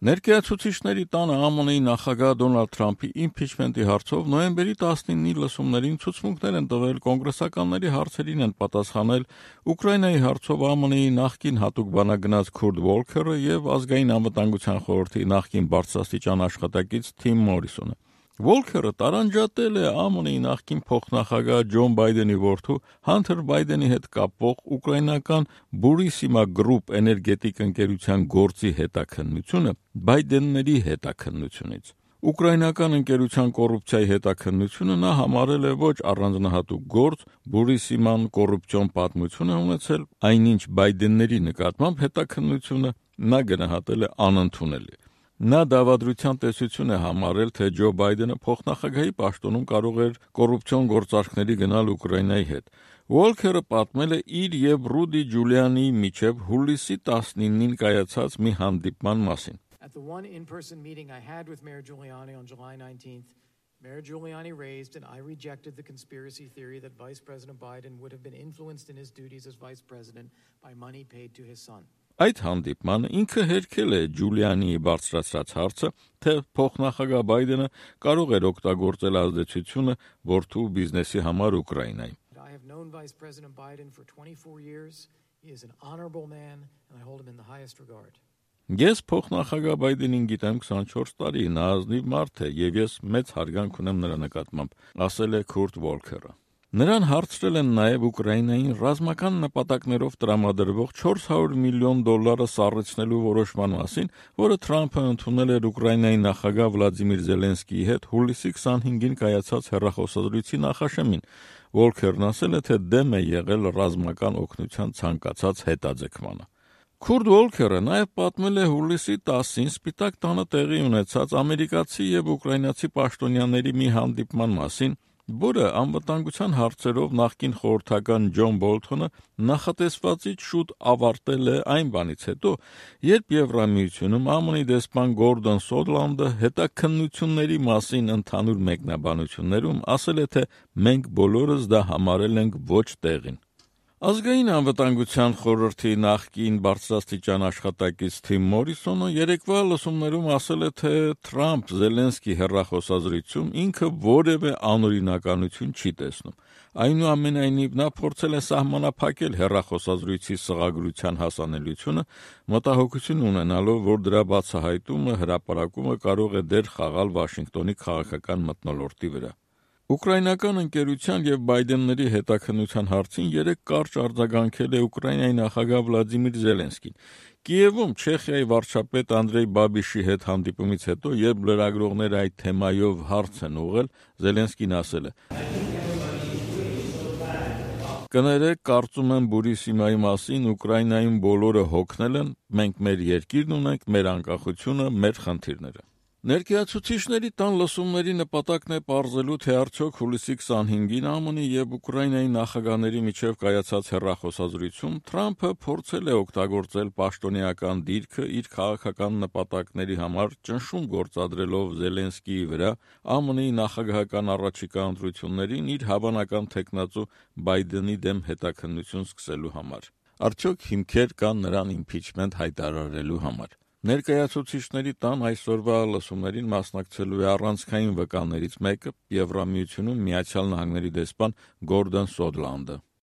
Ներկայացուցիչների տանը ԱՄՆ-ի նախագահ Դոնալդ Թրամփի իմփիչմենտի հարցով նոյեմբերի 19-ի լսումներին ցուցմունքներ են տվել, կոնգրեսականների հարցերին են պատասխանել Ուկրաինայի հարցով ԱՄՆ-ի նախկին հատուկ բանագնաց Քուրտ Վոլքերը եւ Ազգային անվտանգության խորհրդի նախկին բարձրաստիճան աշխատակից Թիմ Մորիսոնը։ Վոլքերը տարանջատել է ԱՄՆ-ի նախկին փոխնախագահ Ջոն Բայդենի որդու Հանթեր Բայդենի հետ կապող ուկրաինական Բուրիսիմա Գրուպ էներգետիկ ընկերության գործի հետաքննությունը Բայդենների հետաքննությունից։ Ուկրաինական ընկերության կոռուպցիայի հետաքննությունը նա համարել է ոչ առանձնահատուկ գործ, Բուրիսիման կոռուպցիոն պատմություն է ունեցել, այնինչ Բայդենների նկատմամբ հետաքննությունը նա գնահատել է անընդունելի։ Նա դավադրության տեսություն է համարել, թե Ջո Բայդենը փոխնախագահի պաշտոնում կարող էր կոռուպցիոն գործարքների գնալ Ուկրաինայի հետ։ Վոլքերը պատմել է իր եւ Ռուդի Ջուլիանիի միջև հուլիսի 19-ին կայացած մի հանդիպման մասին։ At the one in-person meeting I had with Mayor Giuliani on July 19th, Mayor Giuliani raised and I rejected the conspiracy theory that Vice President Biden would have been influenced in his duties as Vice President by money paid to his son. Այդ հանդիպմանը ինքը հերքել է Ջուլիանիի բարձրացրած հարցը, թե փոխնախագահ Բայդենը կարող էր օգտագործել ազդեցությունը որդու բիզնեսի համար Ուկրաինայում։ I have known Vice President Biden for 24 years. He is an honorable man and I hold him in the highest regard. Ես փոխնախագահ Բայդենին գիտեմ 24 տարի, նա ազնիվ մարդ է եւ ես մեծ հարգանք ունեմ նրա նկատմամբ, ասել է Քուրտ Վոլքերը։ Նրան հարցրել են նաև Ուկրաինային ռազմական նպատակներով տրամադրվող $400 միլիոն սառեցնելու որոշման մասին, որը Թրամփը ընդունել էր Ուկրաինայի նախագահ Վլադիմիր Զելենսկիի հետ հուլիսի 25-ին կայացած հեռախոսազրույցի նախաշեմին։ Վոլքերն ասել է, թե դեմ է եղել ռազմական օգնության ցանկացած հետաձգմանը։ Քուրտ Վոլքերը նաև պատմել է հուլիսի 10-ին Սպիտակ տանը տեղի ունեցած ամերիկացի եւ ուկրաինացի պաշտոնյաների մի հանդիպման մասին, որը անվտանգության հարցերով նախկին խորհրդական Ջոն Բոլթոնը նախատեսվածից շուտ ավարտել է այն բանից հետո, երբ Եվրամիությունում ԱՄՆ-ի դեսպան Գորդոն Սոդլանդը հետաքննությունների մասին ընդհանուր մեկնաբանություններում ասել է, թե մենք բոլորս դա համարել ենք ոչ տեղին։ Ազգային անվտանգության խորհրդի նախկին բարձրաստիճան աշխատակից Թիմ Մորիսոնը երեկվա լսումներում ասել է, թե Թրամփ-Զելենսկի հեռախոսազրույցում ինքը որևէ անօրինականություն չի տեսնում։ Այնուամենայնիվ նա փորձել է սահմանափակել հեռախոսազրույցի սղագրության հասանելիությունը, մտահոգություն ունենալով, որ դրա բացահայտումը, հրապարակումը կարող է դեր խաղալ Վաշինգտոնի քաղաքական մթնոլորտի վրա։ Ուկրաինական ընկերության եւ Բայդենների հետաքննության հարցին երեք կարճ արձագանքել է Ուկրաինայի նախագահ Վլադիմիր Զելենսկին։ Կիևում Չեխիայի վարչապետ Անդրեյ Բաբիշի հետ հանդիպումից հետո, երբ լրագրողները այդ թեմայով հարց են ուղղել, Զելենսկին ասել է. Կներեք, կարծում եմ Բուրիսիմայի մասին Ուկրաինայում բոլորը հոգնել են, մենք մեր երկիրն ունենք, մեր անկախությունը, մեր խնդիրները։ Ներկայացուցիչների տան լսումների նպատակն է պարզելու, թե արդյոք հուլիսի 25-ին ԱՄՆ-ի եւ Ուկրաինայի նախագահների միջև կայացած հեռախոսազրույցում Թրամփը փորձել է օգտագործել պաշտոնեական դիրքը իր քաղաքական նպատակների համար ճնշում գործադրելով Զելենսկիի վրա ԱՄՆ-ի նախագահական առաջիկա ընտրություններին իր հավանական թեկնածու Բայդենի դեմ հետաքննություն սկսելու համար։ Արդյոք հիմքեր կան նրան իմփիչմենտ հայտարարելու համար։ Ներկայացուցիչների տան այսօրվա լսումներին մասնակցելու է առանցքային վկաներից մեկը Եվրամիությունում Միացյալ Նահանգների դեսպան Գորդոն Սոդլանդը։